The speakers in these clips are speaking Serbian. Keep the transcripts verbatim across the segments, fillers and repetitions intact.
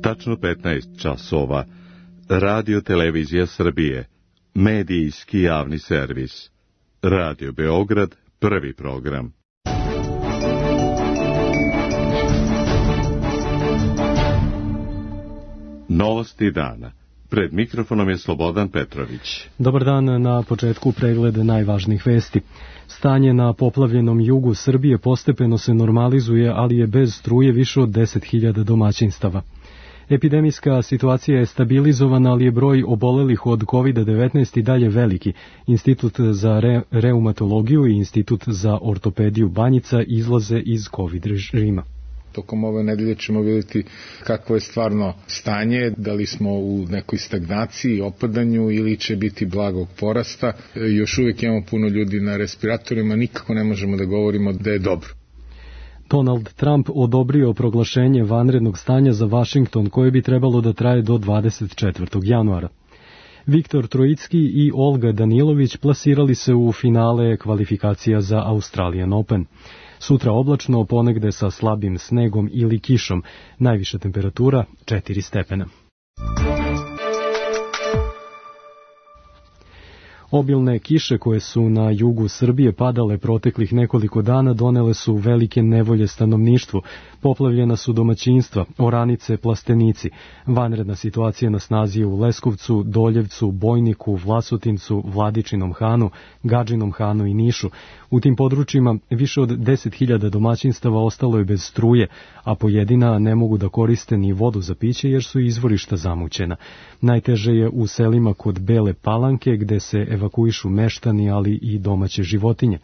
Tačno petnaest časova. Radio Televizija Srbije. Medijski javni servis. Radio Beograd, prvi program. Novosti dana. Pred mikrofonom je Slobodan Petrović. Dobar dan, na početku pregled najvažnijih vesti. Stanje na poplavljenom jugu Srbije postepeno se normalizuje, ali je bez struje više od deset hiljada domaćinstava. Epidemijska situacija je stabilizovana, ali je broj obolelih od kovid devetnaest i dalje veliki. Institut za re, reumatologiju i Institut za ortopediju Banjica izlaze iz COVID režima. Tokom ove nedelje ćemo vidjeti kakvo je stvarno stanje, da li smo u nekoj stagnaciji, opadanju ili će biti blagog porasta. Još uvijek imamo puno ljudi na respiratorima, nikako ne možemo da govorimo da je dobro. Donald Trump odobrio proglašenje vanrednog stanja za Vašington, koje bi trebalo da traje do dvadeset četvrtog januara. Viktor Trojicki i Olga Danilović plasirali se u finale kvalifikacija za Australian Open. Sutra oblačno, ponegde sa slabim snegom ili kišom, najviša temperatura četiri stepena. Obilne kiše koje su na jugu Srbije padale proteklih nekoliko dana donele su velike nevolje stanovništvu. Poplavljena su domaćinstva, oranice, plastenici. Vanredna situacija na snazi je u Leskovcu, Doljevcu, Bojniku, Vlasotincu, Vladičinom Hanu, Gadžinom Hanu i Nišu. U tim područjima više od deset hiljada domaćinstava ostalo je bez struje, a pojedina ne mogu da koriste ni vodu za piće jer su izvorišta zamućena. Najteže je u selima kod Bele Palanke, gde se evakuišu meštani, ali i domaće životinje.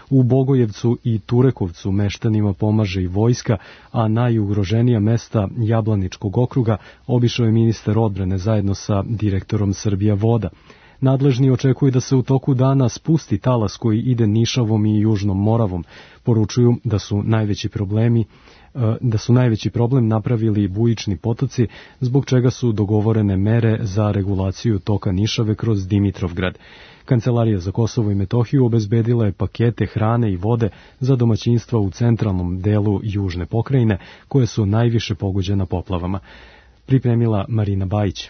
U Bogojevcu i Turekovcu meštanima pomaže i vojska, a najugroženija mesta Jablaničkog okruga obišao je ministar odbrane zajedno sa direktorom Srbija voda. Nadležni očekuju da se u toku dana spusti talas koji ide Nišavom i Južnom Moravom. Poručuju da su najveći problemi da su najveći problem napravili bujični potoci, zbog čega su dogovorene mere za regulaciju toka Nišave kroz Dimitrovgrad. Kancelarija za Kosovo i Metohiju obezbedila je pakete hrane i vode za domaćinstva u centralnom delu južne pokrajine, koje su najviše pogođena poplavama. Pripremila Marina Bajić.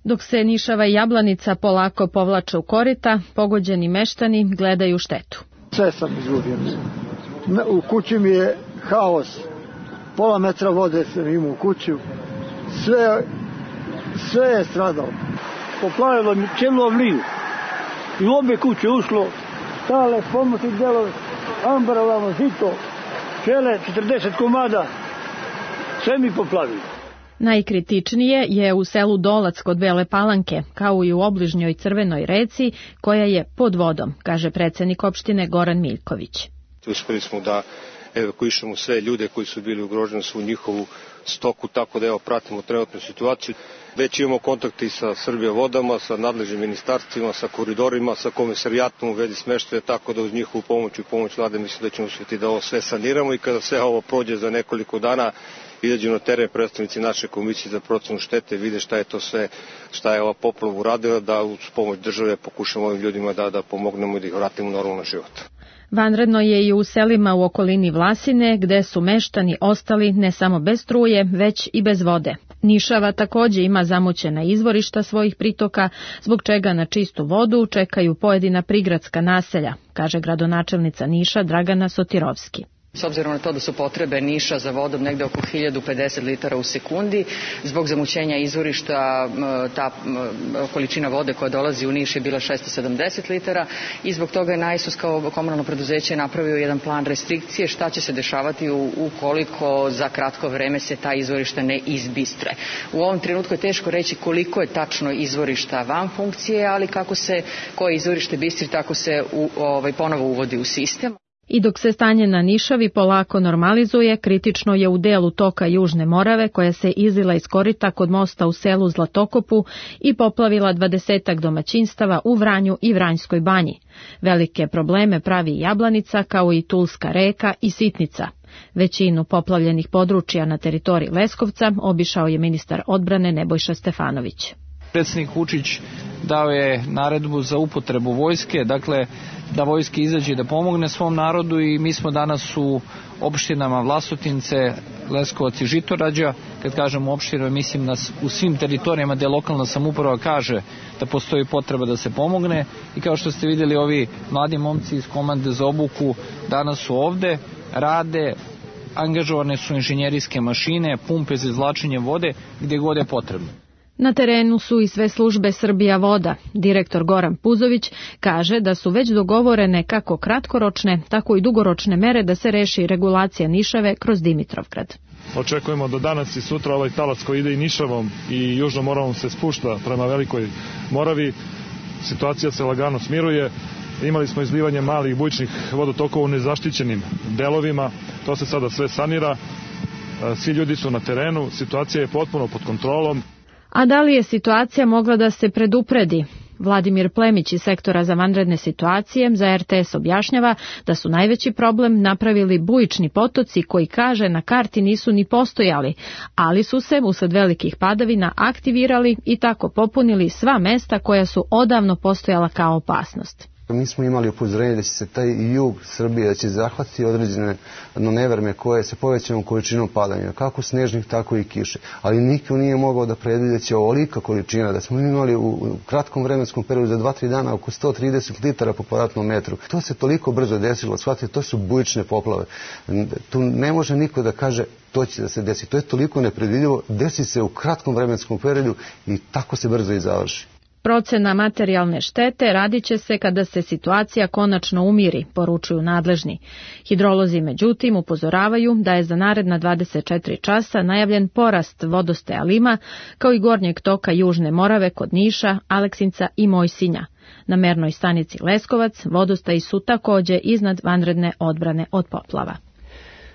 Dok se Nišava i Jablanica polako povlače u korita, pogođeni meštani gledaju štetu. Sve sam izgubio. U kući mi je haos. Pola metra vode sam imao u kuću. Sve, sve je stradalo. Poplavilo mi cijelu avliju. I u obje kuće ušlo stale pomoći delove, ambaralama, žito, čele, četrdeset komada. Sve mi poplavilo. Najkritičnije je u selu Dolac kod Bele Palanke, kao i u obližnjoj Crvenoj reci, koja je pod vodom, kaže predsednik opštine Goran Miljković. Uspeli smo da evakuišemo sve ljude koji su bili ugroženi su u njihovu stoku, tako da evo pratimo trenutnu situaciju. Već imamo kontakte sa Srbija vodama, sa nadležnim ministarstvima, sa koridorima, sa komisarijatom u vezi smeštaja, tako da uz njihovu pomoć i pomoć vlade mislim da ćemo uspjeti da ovo sve saniramo i kada sve ovo prođe za nekoliko dana izađu na teren predstavnici naše komisije za procenu štete, vide šta je to sve, šta je ova poplava uradila, da uz pomoć države pokušamo ovim ljudima da, da pomognemo i da ih vratimo u normalan život. Vanredno je i u selima u okolini Vlasine, gde su meštani ostali ne samo bez struje, već i bez vode. Nišava takođe ima zamućena izvorišta svojih pritoka, zbog čega na čistu vodu čekaju pojedina prigradska naselja, kaže gradonačelnica Niša Dragana Sotirovski. S obzirom na to da su potrebe Niša za vodom negde oko hiljadu pedeset litara u sekundi, zbog zamućenja izvorišta ta količina vode koja dolazi u Niš je bila šesto sedamdeset litara i zbog toga je Najsus kao komunalno preduzeće napravio jedan plan restrikcije šta će se dešavati ukoliko za kratko vreme se ta izvorišta ne izbistre. U ovom trenutku je teško reći koliko je tačno izvorišta van funkcije, ali kako se koje izvorište bistri, tako se u, ovaj, ponovo uvodi u sistem. I dok se stanje na Nišavi polako normalizuje, kritično je u delu toka Južne Morave, koja se izlila iz korita kod mosta u selu Zlatokopu i poplavila dvadesetak domaćinstava u Vranju i Vranjskoj banji. Velike probleme pravi Jablanica, kao i Tulska reka i Sitnica. Većinu poplavljenih područja na teritoriji Leskovca obišao je ministar odbrane Nebojša Stefanović. Predsjednik Vučić dao je naredbu za upotrebu vojske, dakle da vojska izađe da pomogne svom narodu i mi smo danas u opštinama Vlasotince, Leskovac i Žitorađa, kad kažem opširno, mislim na u svim teritorijama gde lokalna samouprava kaže da postoji potreba da se pomogne i kao što ste vidjeli ovi mladi momci iz komande za obuku danas su ovde, rade, angažovane su inženjerijske mašine, pumpe za izvlačenje vode gdje god je potrebno. Na terenu su i sve službe Srbija voda. Direktor Goran Puzović kaže da su već dogovorene kako kratkoročne, tako i dugoročne mere da se reši regulacija Nišave kroz Dimitrovgrad. Očekujemo da danas i sutra ovaj talac koji ide i Nišavom i Južnom Moravom se spušta prema Velikoj Moravi. Situacija se lagano smiruje. Imali smo izlivanje malih bujičnih vodotokova u nezaštićenim delovima. To se sada sve sanira. Svi ljudi su na terenu. Situacija je potpuno pod kontrolom. A da li je situacija mogla da se predupredi? Vladimir Plemić iz sektora za vanredne situacije za er te es objašnjava da su najveći problem napravili bujični potoci koji, kaže, na karti nisu ni postojali, ali su se usled velikih padavina aktivirali i tako popunili sva mesta koja su odavno postojala kao opasnost. Mi smo imali upozorenje da će se taj jug Srbije, da će zahvatiti određene neverme koje se povećanom količinom padanja, kako snežnih, tako i kiše. Ali niko nije mogao da predvidi da će ovolika količina, da smo imali u kratkom vremenskom periodu za dva tri dana oko sto trideset litara po kvadratnom metru. To se toliko brzo desilo, shvatite, to su bujične poplave. Tu ne može niko da kaže to će da se desi. To je toliko nepredvidivo, desi se u kratkom vremenskom periodu i tako se brzo i završi. Procena materijalne štete radit će se kada se situacija konačno umiri, poručuju nadležni. Hidrolozi međutim upozoravaju da je za naredna dvadeset četiri časa najavljen porast vodostaja Lima, kao i gornjeg toka Južne Morave kod Niša, Aleksinca i Mojsinja. Na mernoj stanici Leskovac vodostaji su takođe iznad vanredne odbrane od poplava.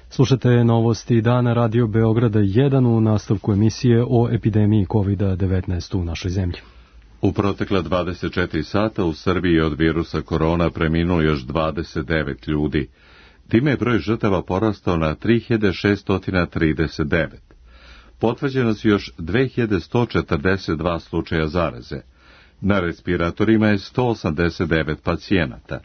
Slušate novosti dana Radio Beograda jedan u nastavku emisije o epidemiji kovid devetnaest u našoj zemlji. U protekla dvadeset četiri sata u Srbiji od virusa korona preminulo još dvadeset devet ljudi. Time je broj žrtava porastao na tri hiljade šesto trideset devet. Potvrđeno su još dve hiljade sto četrdeset dva slučaja zaraze. Na respiratorima je sto osamdeset devet pacijenata.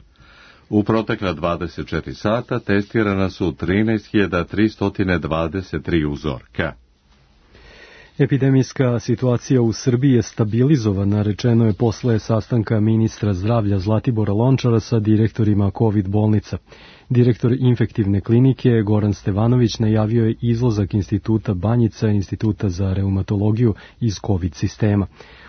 U protekla dvadeset četiri sata testirana su trinaest hiljada tristo dvadeset tri uzorka. Epidemijska situacija u Srbiji je stabilizovana, rečeno je posle sastanka ministra zdravlja Zlatibora Lončara sa direktorima COVID bolnica. Direktor infektivne klinike Goran Stevanović najavio je izlazak Instituta Banjica, Instituta za reumatologiju iz COVID sistema.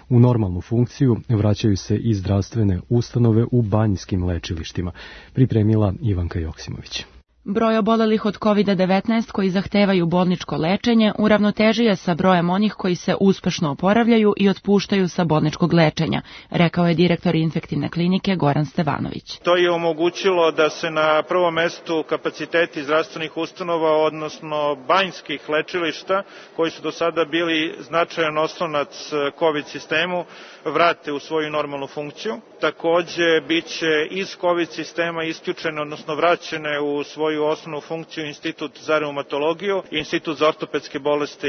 U normalnu funkciju vraćaju se i zdravstvene ustanove u banjskim lečilištima, pripremila Ivanka Joksimović. Broj obolelih od kovid devetnaest koji zahtevaju bolničko lečenje uravnotežio je sa brojem onih koji se uspešno oporavljaju i otpuštaju sa bolničkog lečenja, rekao je direktor infektivne klinike Goran Stevanović. To je omogućilo da se na prvom mestu kapaciteti zdravstvenih ustanova, odnosno banjskih lečilišta, koji su do sada bili značajan oslonac COVID sistemu, vrate u svoju normalnu funkciju. Takođe, bit će iz COVID sistema isključene, odnosno vraćene u svoju osnovnu funkciju Institut za reumatologiju i Institut za ortopedske bolesti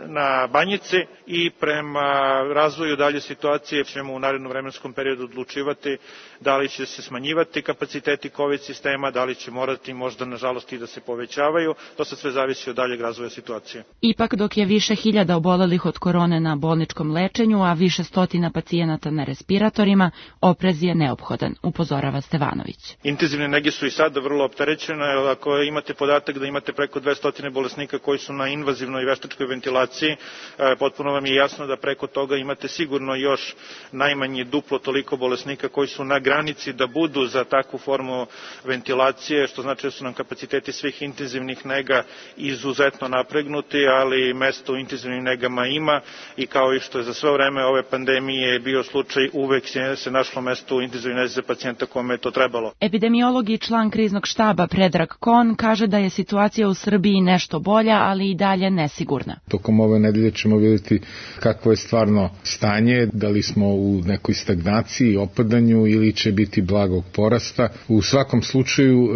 na Banjici i prema razvoju dalje situacije ćemo u narednom vremenskom periodu odlučivati da li će se smanjivati kapaciteti COVID sistema, da li će morati možda nažalost i da se povećavaju. To se sve zavisi od daljeg razvoja situacije. Ipak dok je više hiljada obolelih od korone na bolničkom lečenju, a više stotina pacijenata na respiratorima, oprez je neophodan, upozorava Stevanović. Intenzivne nege su i sada vrlo opterećene. Ako imate podatak da imate preko dvesta bolesnika koji su na invazivnoj i veštačkoj ventilaciji, potpuno vam je jasno da preko toga imate sigurno još najmanje duplo toliko bolesnika koji su na granici da budu za takvu formu ventilacije, što znači da su nam kapaciteti svih intenzivnih nega izuzetno napregnuti, ali mesto u intenzivnim negama ima i kao i što je za sve vreme ove pandemije bio slučaj, uvek se našlo mesto u intenzivnoj nezi za pacijenta kome je to trebalo. Epidemiolog i član kriznog štaba Predrag Kon kaže da je situacija u Srbiji nešto bolja, ali i dalje nesigurna. Tokom ove nedelje ćemo vidjeti kakvo je stvarno stanje, da li smo u nekoj stagnaciji, opadanju ili će biti blagog porasta. U svakom slučaju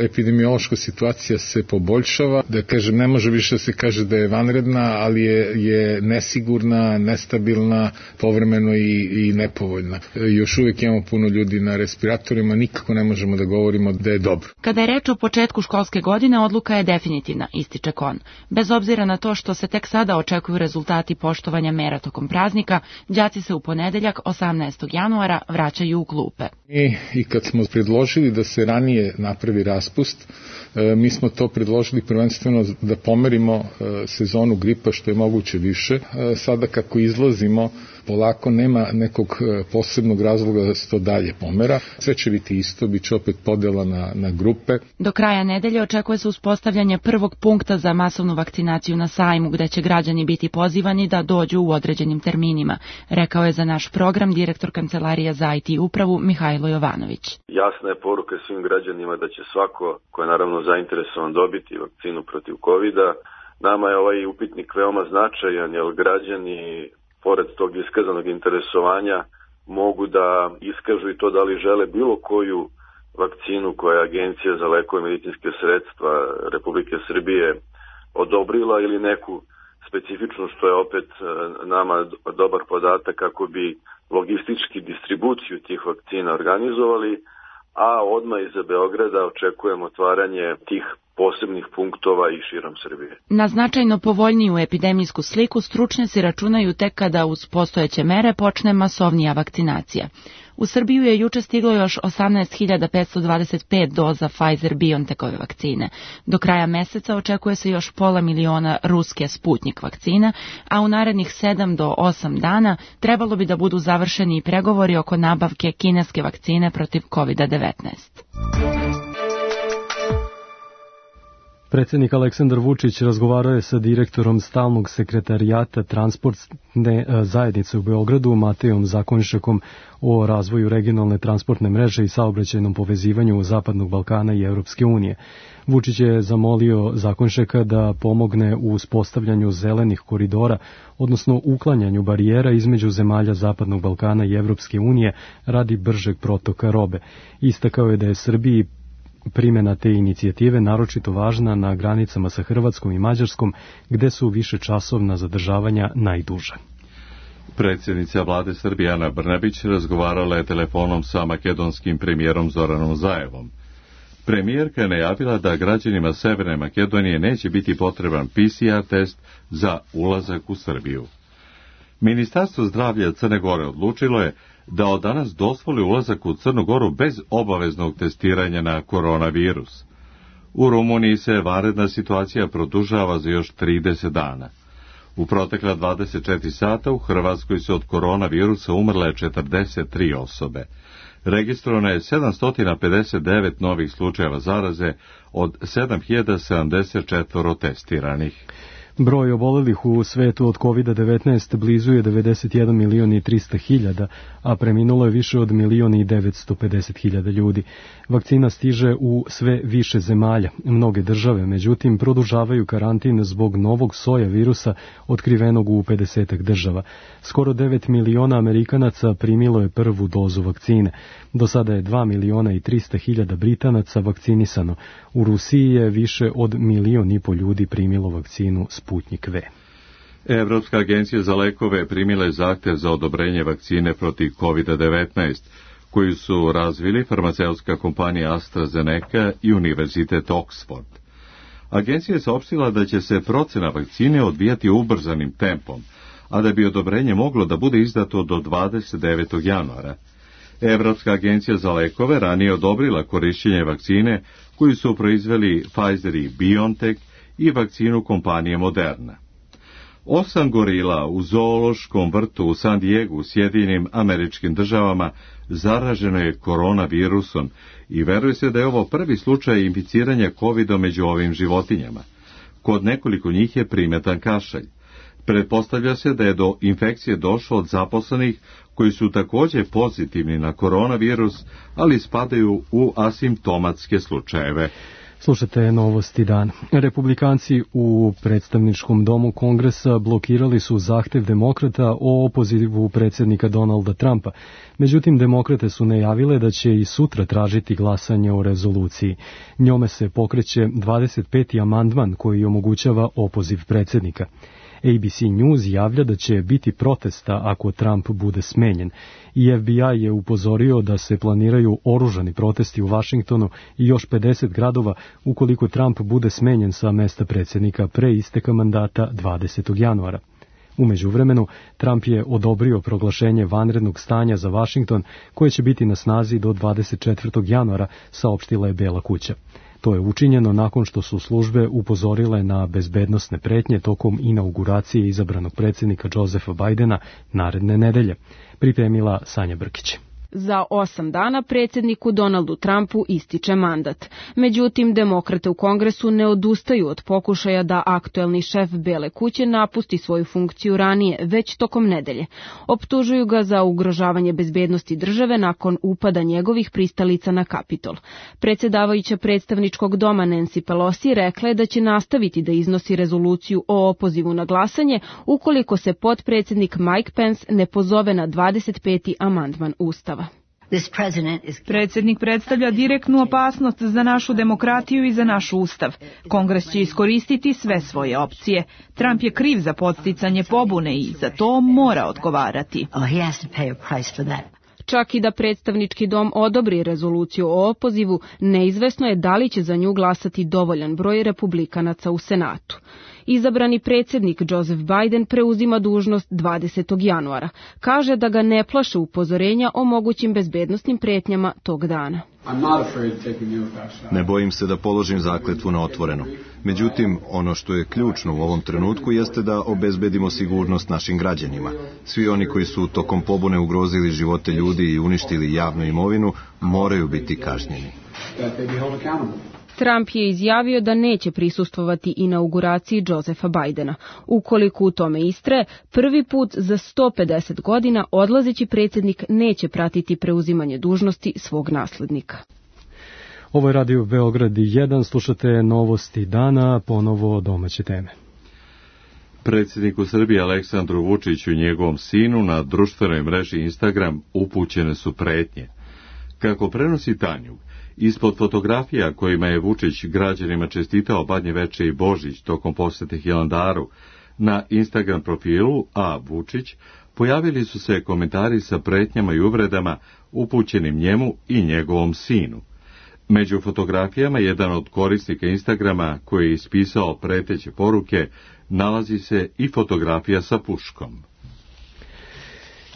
epidemiološka situacija se poboljšava, da kažem ne može više da se kaže da je vanredna, ali je, je nesigurna, nestabilna, povremeno i, i nepovoljna. Još uvijek imamo puno ljudi na respiratorima, nikako ne možemo da govorimo da je dobro. Kada je reč o početku školske godine odluka je definitivna, ističe Kon. Bez obzira na to što se tek sada očekuju rezultati poštovanja mera tokom praznika, đaci se u ponedeljak osamnaestog januara vraćaju u klupe. I, i kad smo predložili da se ranije napravi raspust, e, mi smo to predložili prvenstveno da pomerimo e, sezonu gripa što je moguće više. E, sada kako izlazimo, polako nema nekog posebnog razloga da se to dalje pomera. Sve će biti isto, bit će opet podela na, na grupe. Do kraja nedelje očekuje se uspostavljanje prvog punkta za masovnu vakcinaciju na sajmu, gde će građani biti pozivani da dođu u određenim terminima, rekao je za naš program direktor Kancelarije za I T upravu Mihajlo Jovanović. Jasna je poruka svim građanima da će svako ko je naravno zainteresovan dobiti vakcinu protiv kovida. Nama je ovaj upitnik veoma značajan, jer građani pored tog iskazanog interesovanja mogu da iskažu i to da li žele bilo koju vakcinu koja je Agencija za lekove i medicinske sredstva Republike Srbije odobrila ili neku specifičnu, što je opet nama dobar podatak kako bi logistički distribuciju tih vakcina organizovali, a odmah iza Beograda očekujemo otvaranje tih posebnih punktova i širom Srbije. Na značajno povoljniju epidemijsku sliku stručnjaci računaju tek kada uz postojeće mere počne masovnija vakcinacija. U Srbiju je juče stiglo još osamnaest hiljada petsto dvadeset pet doza Pfizer-BioNTechove vakcine. Do kraja meseca očekuje se još pola miliona ruske Sputnik vakcina, a u narednih sedam do osam dana trebalo bi da budu završeni i pregovori oko nabavke kineske vakcine protiv kovid devetnaest. Predsjednik Aleksandar Vučić razgovarao je sa direktorom stalnog sekretarijata transportne zajednice u Beogradu, Matejom Zakonjšakom, o razvoju regionalne transportne mreže i saobraćajnom povezivanju Zapadnog Balkana i Evropske unije. Vučić je zamolio Zakonjšaka da pomogne u uspostavljanju zelenih koridora, odnosno uklanjanju barijera između zemalja Zapadnog Balkana i Evropske unije radi bržeg protoka robe. Istakao je da je Srbiji primjena te inicijative naročito važna na granicama sa Hrvatskom i Mađarskom, gde su višečasovna zadržavanja najduža. Predsjednica vlade Srbije Ana Brnabić razgovarala je telefonom sa makedonskim premijerom Zoranom Zaevom. Premijerka je najavila da građanima Severne Makedonije neće biti potreban P C R test za ulazak u Srbiju. Ministarstvo zdravlja Crne Gore odlučilo je da od danas dozvoli ulazak u Crnu Goru bez obaveznog testiranja na koronavirus. U Rumuniji se vanredna situacija produžava za još trideset dana. U protekla dvadeset četiri sata u Hrvatskoj se od koronavirusa umrle četrdeset tri osobe. Registrovano je sedamsto pedeset devet novih slučajeva zaraze od sedam hiljada sedamdeset četiri testiranih. Broj obolelih u svetu od kovid devetnaest blizu je devedeset jedan milion i trista hiljada, a preminulo je više od milion i devetsto pedeset hiljada ljudi. Vakcina stiže u sve više zemalja. Mnoge države, međutim, produžavaju karantin zbog novog soja virusa otkrivenog u pedesetak država. Skoro devet miliona Amerikanaca primilo je prvu dozu vakcine. Do sada je dva miliona i trista hiljada Britanaca vakcinisano. U Rusiji je više od milion i po ljudi primilo vakcinu Sputnik V. Evropska agencija za lekove primila je zahtev za odobrenje vakcine protiv kovid devetnaest, koju su razvili farmaceutska kompanija AstraZeneca i Univerzitet Oxford. Agencija je saopštila da će se procena vakcine odvijati ubrzanim tempom, a da bi odobrenje moglo da bude izdato do dvadeset devetog januara. Evropska agencija za lekove ranije odobrila korišćenje vakcine koju su proizveli Pfizer i BioNTech i vakcinu kompanije Moderna. Osam gorila u zoološkom vrtu u San Diegu u Sjedinjenim Američkim Državama zaraženo je koronavirusom i veruje se da je ovo prvi slučaj inficiranja kovidom među ovim životinjama. Kod nekoliko njih je primetan kašalj. Pretpostavlja se da je do infekcije došlo od zaposlenih koji su također pozitivni na koronavirus, ali spadaju u asimptomatske slučajeve. Slušajte novosti dan. Republikanci u predstavničkom domu Kongresa blokirali su zahtev demokrata o opozivu predsjednika Donalda Trumpa. Međutim, demokrate su najavile da će i sutra tražiti glasanje o rezoluciji. Njome se pokreće dvadeset peti amandman koji omogućava opoziv predsjednika. A B C News javlja da će biti protesta ako Trump bude smenjen i F B I je upozorio da se planiraju oružani protesti u Vašingtonu i još pedeset gradova ukoliko Trump bude smenjen sa mesta predsjednika pre isteka mandata dvadesetog januara. U međuvremenu, Trump je odobrio proglašenje vanrednog stanja za Vašington, koje će biti na snazi do dvadeset četvrtog januara, saopštila je Bela kuća. To je učinjeno nakon što su službe upozorile na bezbednosne pretnje tokom inauguracije izabranog predsjednika Josepha Bidena naredne nedelje, pripremila Sanja Brkić. Za osam dana predsjedniku Donaldu Trumpu ističe mandat. Međutim, demokrate u Kongresu ne odustaju od pokušaja da aktuelni šef Bele kuće napusti svoju funkciju ranije, već tokom nedelje. Optužuju ga za ugrožavanje bezbednosti države nakon upada njegovih pristalica na Kapitol. Predsjedavajuća predstavničkog doma Nancy Pelosi rekla je da će nastaviti da iznosi rezoluciju o opozivu na glasanje ukoliko se potpredsjednik Mike Pence ne pozove na dvadeset peti amandman Ustava. Predsjednik predstavlja direktnu opasnost za našu demokratiju i za naš ustav. Kongres će iskoristiti sve svoje opcije. Trump je kriv za podsticanje pobune i za to mora odgovarati. Čak i da predstavnički dom odobri rezoluciju o opozivu, neizvesno je da li će za nju glasati dovoljan broj republikanaca u Senatu. Izabrani predsjednik Joseph Biden preuzima dužnost dvadesetog januara. Kaže da ga ne plaše upozorenja o mogućim bezbednosnim pretnjama tog dana. Ne bojim se da položim zakletvu na otvoreno. Međutim, ono što je ključno u ovom trenutku jeste da obezbedimo sigurnost našim građanima. Svi oni koji su tokom pobune ugrozili živote ljudi i uništili javnu imovinu moraju biti kažnjeni. Trump je izjavio da neće prisustvovati inauguraciji Josepha Bidena. Ukoliko u tome istre, prvi put za sto pedeset godina odlazeći predsjednik neće pratiti preuzimanje dužnosti svog naslednika. Ovo je Radio Beograd jedan, slušate novosti dana, ponovo domaće teme. Predsjedniku Srbije Aleksandru Vučiću i njegovom sinu na društvenoj mreži Instagram upućene su pretnje. Kako prenosi Tanjug, ispod fotografija kojima je Vučić građanima čestitao Badnje veče i Božić tokom posete Hilandaru, na Instagram profilu A. Vučić pojavili su se komentari sa pretnjama i uvredama upućenim njemu i njegovom sinu. Među fotografijama jedan od korisnika Instagrama koji je ispisao preteće poruke nalazi se i fotografija sa puškom.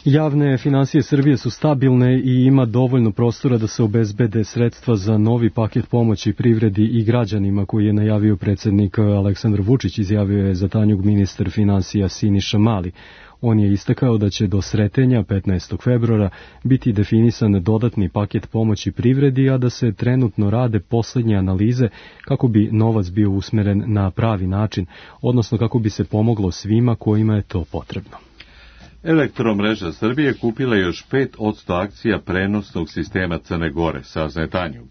Javne finansije Srbije su stabilne i ima dovoljno prostora da se obezbede sredstva za novi paket pomoći privredi i građanima koji je najavio predsjednik Aleksandar Vučić, izjavio je za Tanjug ministar finansija Siniša Mali. On je istakao da će do sretenja petnaestog februara biti definisan dodatni paket pomoći privredi, a da se trenutno rade poslednje analize kako bi novac bio usmeren na pravi način, odnosno kako bi se pomoglo svima kojima je to potrebno. Elektromreža Srbije kupila još pet posto akcija prenosnog sistema Crne Gore, saznaje Tanjug.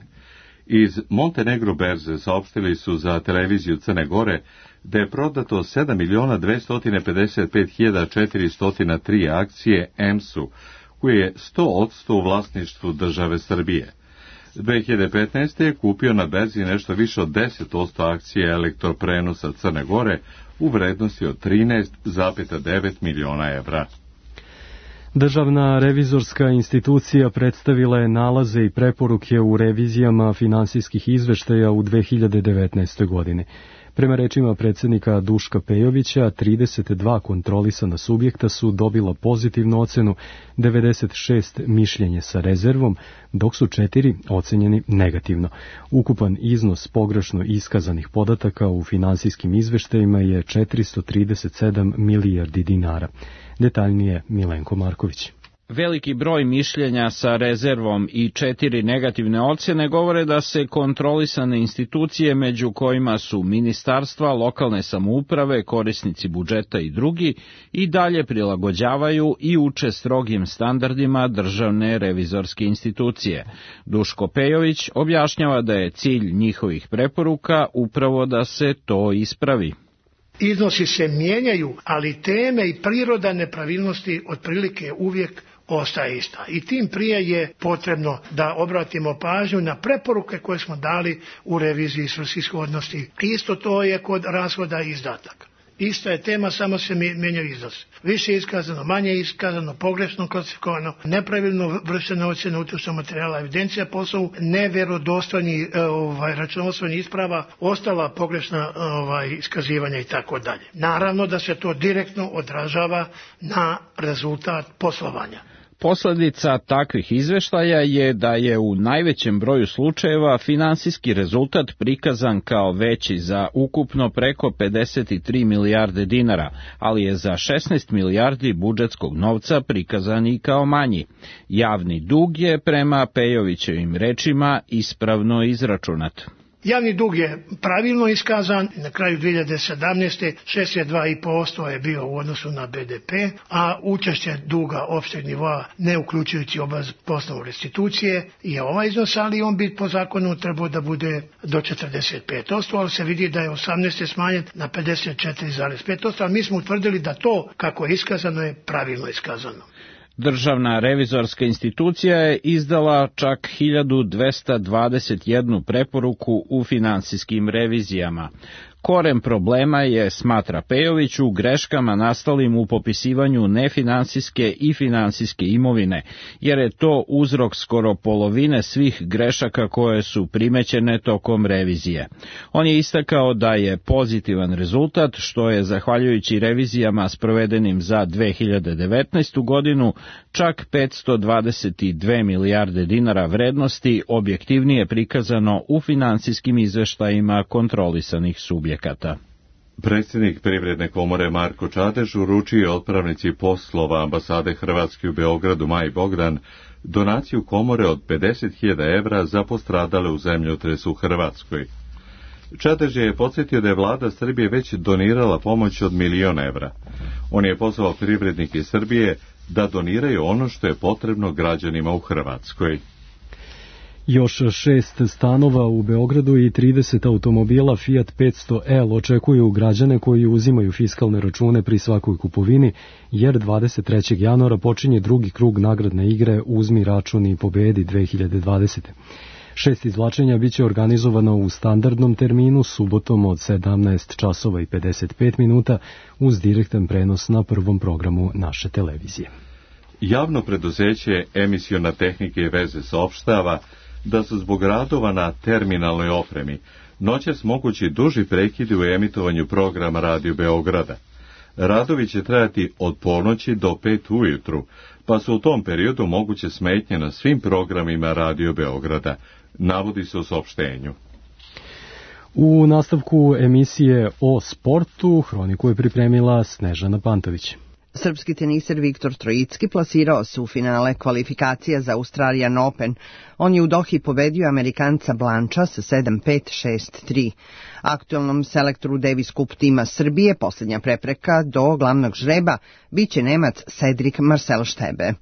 Iz Montenegro berze saopštili su za televiziju Crne Gore da je prodato sedam miliona dvesta pedeset pet hiljada četiristo tri akcije E M S-u, koje je sto posto u vlasništvu države Srbije. dve hiljade petnaeste. je kupio na berzi nešto više od deset posto akcije elektroprenosa Crne Gore u vrednosti od trinaest zarez devet miliona evra. Državna revizorska institucija predstavila je nalaze i preporuke u revizijama finansijskih izveštaja u dve hiljade devetnaestoj. godini. Prema rečima predsjednika Duška Pejovića, trideset dva kontrolisana subjekta su dobila pozitivnu ocenu, devedeset šest mišljenje sa rezervom, dok su četiri ocenjeni negativno. Ukupan iznos pogrešno iskazanih podataka u finansijskim izveštajima je četiristo trideset sedam milijardi dinara. Detaljnije Milenko Marković. Veliki broj mišljenja sa rezervom i četiri negativne ocjene govore da se kontrolisane institucije, među kojima su ministarstva, lokalne samouprave, korisnici budžeta i drugi, i dalje prilagođavaju i uče strogim standardima državne revizorske institucije. Duško Pejović objašnjava da je cilj njihovih preporuka upravo da se to ispravi. Iznosi se mijenjaju, ali teme i priroda nepravilnosti otprilike uvijek ostaje ista. I tim prije je potrebno da obratimo pažnju na preporuke koje smo dali u reviziji svrsishodnosti. Isto to je kod rashoda i izdataka. ista je tema, samo se menjaju iznosi. Više je iskazano, manje je iskazano, pogrešno klasifikovano, nepravilno vršena ocjena utrošenog materijala, evidencija poslovu, neverodostojni ovaj, računovodstveni isprava, ostala pogrešna ovaj, iskazivanja i tako dalje. Naravno da se to direktno odražava na rezultat poslovanja. Posledica takvih izveštaja je da je u najvećem broju slučajeva finansijski rezultat prikazan kao veći za ukupno preko pedeset tri milijarde dinara, ali je za šesnaest milijardi budžetskog novca prikazan i kao manji. Javni dug je prema Pejovićevim rečima ispravno izračunat. Javni dug je pravilno iskazan, na kraju dve hiljade sedamnaeste. šezdeset dva zarez pet posto je bio u odnosu na be de pe, a učešće duga opšteg nivoa, ne uključujući obavez po osnovu restitucije, je ovaj iznos, ali on bi po zakonu trebao da bude do četrdeset pet posto, ali se vidi da je osamnaeste. smanjen na pedeset četiri zarez pet posto, ali mi smo utvrdili da to kako je iskazano je pravilno iskazano. Državna revizorska institucija je izdala čak hiljadu dvesta dvadeset jednu preporuku u finansijskim revizijama. Koren problema je, smatra Pejović, u greškama nastalim u popisivanju nefinansijske i finansijske imovine, jer je to uzrok skoro polovine svih grešaka koje su primećene tokom revizije. On je istakao da je pozitivan rezultat, što je, zahvaljujući revizijama sprovedenim za dve hiljade devetnaestu. godinu, čak petsto dvadeset dve milijarde dinara vrednosti objektivnije prikazano u finansijskim izveštajima kontrolisanih subjekata. Predsjednik Privredne komore Marko Čadež uručio je otpravnici poslova ambasade Hrvatske u Beogradu Maji Bogdan donaciju komore od pedeset hiljada evra za postradale u zemljotresu u Hrvatskoj. Čadež je podsjetio da je vlada Srbije već donirala pomoć od milion evra. On je pozvao privrednike Srbije da doniraju ono što je potrebno građanima u Hrvatskoj. Još šest stanova u Beogradu i trideset automobila Fiat petsto L očekuju građane koji uzimaju fiskalne račune pri svakoj kupovini, jer dvadeset trećeg januara počinje drugi krug nagradne igre Uzmi račun i pobedi dve hiljade dvadesete. Šest izvlačenja biće organizovano u standardnom terminu subotom od sedamnaest časova i pedeset pet minuta uz direktan prenos na prvom programu naše televizije. Javno preduzeće Emisiona tehnika i veze saopštava da su zbog radova na terminalnoj opremi noćas mogući duži prekidi u emitovanju programa Radio Beograda. Radovi će trajati od ponoći do pet ujutru, pa su u tom periodu moguće smetnje na svim programima Radio Beograda, navodi se u saopštenju. U nastavku emisije o sportu hroniku je pripremila Snežana Pantović. Srpski teniser Viktor Trojicki plasirao se u finale kvalifikacija za Australian Open. On je u Dohi pobedio Amerikanca Blanča sa sedam pet šest tri. Aktualnom selektoru Davis Cup tima Srbije posljednja prepreka do glavnog žreba biće Nemac Cedric Marcel Štebe.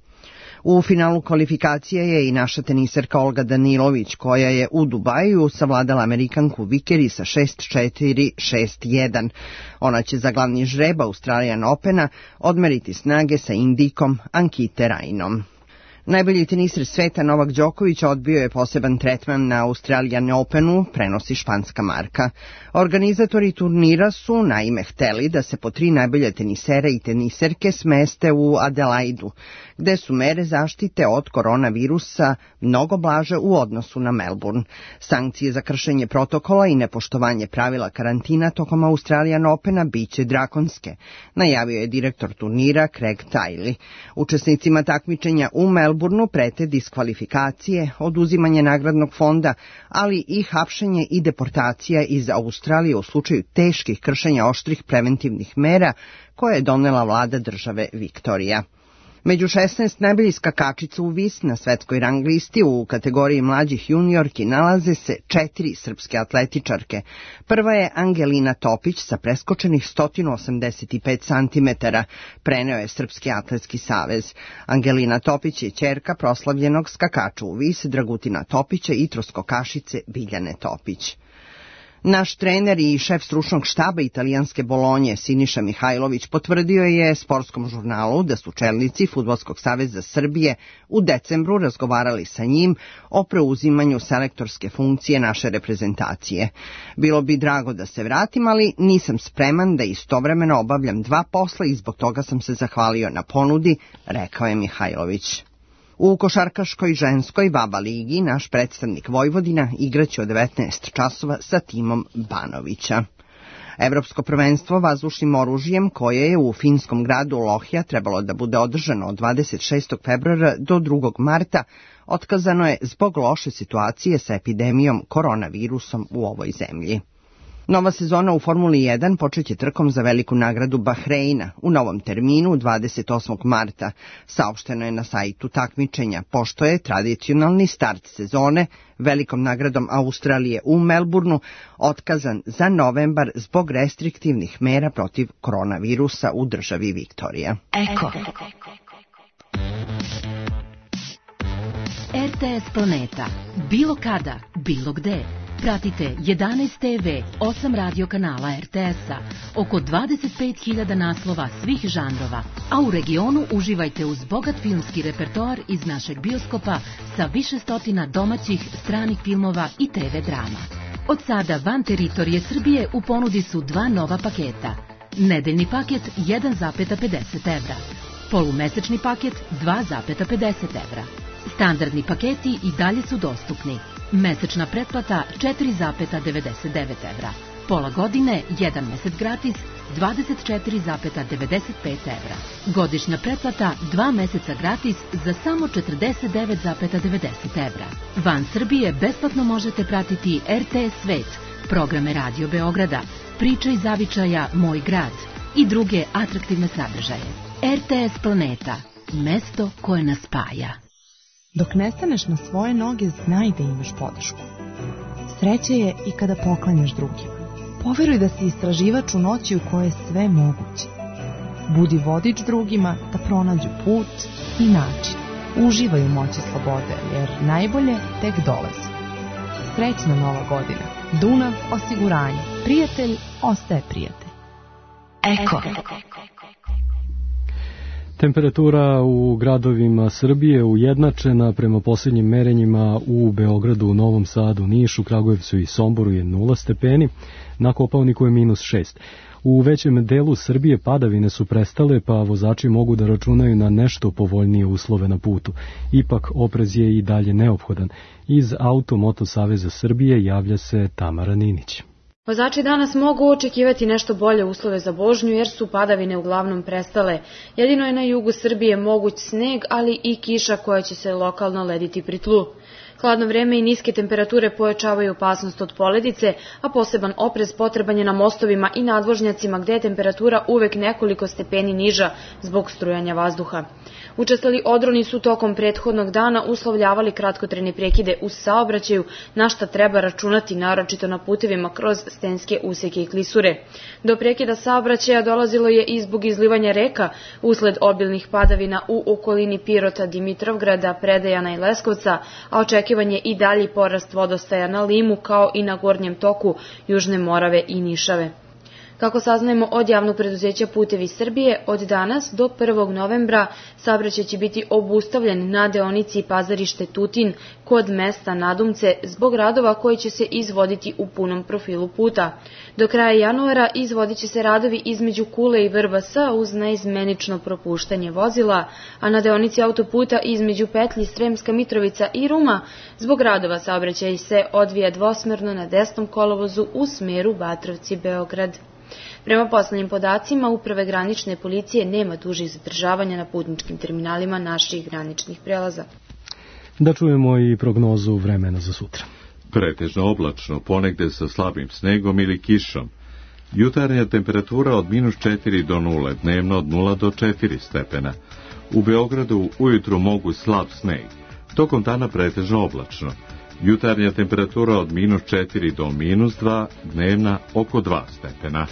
U finalu kvalifikacije je i naša teniserka Olga Danilović, koja je u Dubaju savladala Amerikanku Vikeri sa šest četiri šest jedan. Ona će za glavni žreb Australian Opena odmeriti snage sa Indikom Ankite Rajnom. Najbolji teniser sveta Novak Đoković odbio je poseban tretman na Australian Openu, prenosi španska marka. Organizatori turnira su naime hteli da se po tri najbolje tenisera i teniserke smeste u Adelaidu, gde su mere zaštite od koronavirusa mnogo blaže u odnosu na Melbourne. Sankcije za kršenje protokola i nepoštovanje pravila karantina tokom Australian Opena biće drakonske, najavio je direktor turnira Craig Tiley. Učesnicima takmičenja u Melbourneu prete diskvalifikacije, oduzimanje nagradnog fonda, ali i hapšenje i deportacija iz Australije u slučaju teških kršenja oštrih preventivnih mera koje je donela vlada države Viktorija. Među šesnaest najboljih skakačica u vis na svetskoj rang listi u kategoriji mlađih juniorki nalaze se četiri srpske atletičarke. Prva je Angelina Topić sa preskočenih sto osamdeset pet centimetara, preneo je Srpski atletski savez. Angelina Topić je ćerka proslavljenog skakača u vis Dragutina Topića i troskokašice Biljane Topić. Naš trener i šef stručnog štaba italijanske Bolonje, Siniša Mihajlović, potvrdio je sportskom žurnalu da su čelnici Fudbalskog saveza Srbije u decembru razgovarali sa njim o preuzimanju selektorske funkcije naše reprezentacije. Bilo bi drago da se vratim, ali nisam spreman da istovremeno obavljam dva posla i zbog toga sam se zahvalio na ponudi, rekao je Mihajlović. U košarkaškoj ženskoj Vaba ligi naš predstavnik Vojvodina igraće od devetnaest časova sa timom Banovića. Evropsko prvenstvo vazdušnim oružjem koje je u finskom gradu Lohja trebalo da bude održano od dvadeset šestog februara do drugog marta, otkazano je zbog loše situacije sa epidemijom koronavirusom u ovoj zemlji. Nova sezona u Formuli jedan počeće trkom za veliku nagradu Bahreina u novom terminu dvadeset osmog marta, saopšteno je na sajtu takmičenja, pošto je tradicionalni start sezone velikom nagradom Australije u Melbourneu otkazan za novembar zbog restriktivnih mera protiv koronavirusa u državi Viktorija. Eko. R T S Planeta. Bilo kada, bilo gde. Pratite jedanaest te ve, osam radio kanala er te es-a, oko dvadeset pet hiljada naslova svih žanrova, a u regionu uživajte uz bogat filmski repertoar iz našeg bioskopa sa više stotina domaćih, stranih filmova i te ve drama. Od sada van teritorije Srbije u ponudi su dva nova paketa. Nedeljni paket jedan zarez pedeset evra, polumesečni paket dva zarez pedeset evra. Standardni paketi i dalje su dostupni. Mesečna pretplata četiri zarez devedeset devet evra. Pola godine, jedan mesec gratis, dvadeset četiri zarez devedeset pet evra. Godišnja pretplata, dva meseca gratis za samo četrdeset devet zarez devedeset evra. Van Srbije besplatno možete pratiti er te es Svet, programe Radio Beograda, Priče iz zavičaja Moj grad i druge atraktivne sadržaje. er te es Planeta, mesto koje nas spaja. Dok ne staneš na svoje noge, znaj da imaš podršku. Sreće je i kada poklanjaš drugima. Poveruj da si istraživač u noći u kojoj je sve moguće. Budi vodič drugima da pronađu put i način. Uživaj u moći slobode, jer najbolje tek dolazi. Srećna nova godina. Dunav osiguranje. Prijatelj ostaje prijatelj. Eko. Temperatura u gradovima Srbije ujednačena prema posljednjim merenjima u Beogradu, Novom Sadu, Nišu, Kragujevcu i Somboru je nula stepeni, na Kopaoniku je minus šest. U većem delu Srbije padavine su prestale, pa vozači mogu da računaju na nešto povoljnije uslove na putu. Ipak oprez je i dalje neophodan. Iz Auto-Moto Saveza Srbije javlja se Tamara Ninić. Vozači danas mogu očekivati nešto bolje uslove za vožnju jer su padavine uglavnom prestale. Jedino je na jugu Srbije moguć sneg, ali i kiša koja će se lokalno lediti pri tlu. Hladno vreme i niske temperature pojačavaju opasnost od poledice, a poseban oprez potreban je na mostovima i nadvožnjacima gde je temperatura uvek nekoliko stepeni niža zbog strujanja vazduha. Učestali odroni su tokom prethodnog dana uslovljavali kratkotrajne prekide u saobraćaju, na šta treba računati naročito na putevima kroz stenske useke i klisure. Do prekida saobraćaja dolazilo je i zbog izlivanja reka usled obilnih padavina u okolini Pirota, Dimitrovgrada, Predejana i Leskovca, a očekivan je i dalji porast vodostaja na Limu kao i na gornjem toku Južne Morave i Nišave. Kako saznajemo od javnog preduzeća Putevi Srbije, od danas do prvog novembra saobraćaj će biti obustavljen na deonici Pazarište Tutin kod mesta Nadumce zbog radova koji će se izvoditi u punom profilu puta. Do kraja januara izvodit će se radovi između Kule i Vrbasa uz neizmenično propuštanje vozila, a na deonici autoputa između petlji Sremska Mitrovica i Ruma zbog radova saobraćaj se odvija dvosmerno na desnom kolovozu u smeru Batrovci-Beograd. Prema poslednjim podacima Uprave granične policije nema dužih zadržavanja na putničkim terminalima naših graničnih prelaza. Da čujemo i prognozu vremena za sutra. Pretežno oblačno, ponegde sa slabim snegom ili kišom. Jutarnja temperatura od minus četiri do nule, dnevno od nula do četiri stepena. U Beogradu ujutru mogu slab sneg. Tokom dana pretežno oblačno. Jutarnja temperatura od minus četiri do minus dva, dnevna oko dva stepena.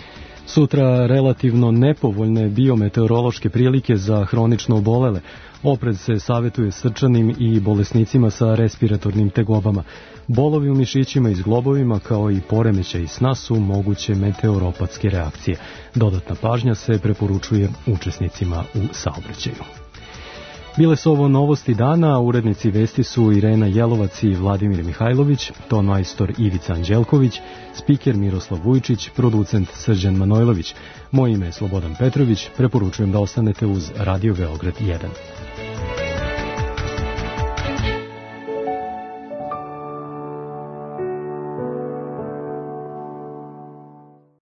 Sutra relativno nepovoljne biometeorološke prilike za hronično obolele. Oprez se savjetuje srčanim i bolesnicima sa respiratornim tegobama. Bolovi u mišićima i zglobovima kao i poremećaj sna su moguće meteoropatske reakcije. Dodatna pažnja se preporučuje učesnicima u saobraćaju. Bile su ovo novosti dana, urednici vesti su Irena Jelovac i Vladimir Mihajlović, ton majstor Ivica Anđelković, spiker Miroslav Vujčić, producent Srđan Manojlović. Moje ime je Slobodan Petrović, preporučujem da ostanete uz Radio Beograd jedan.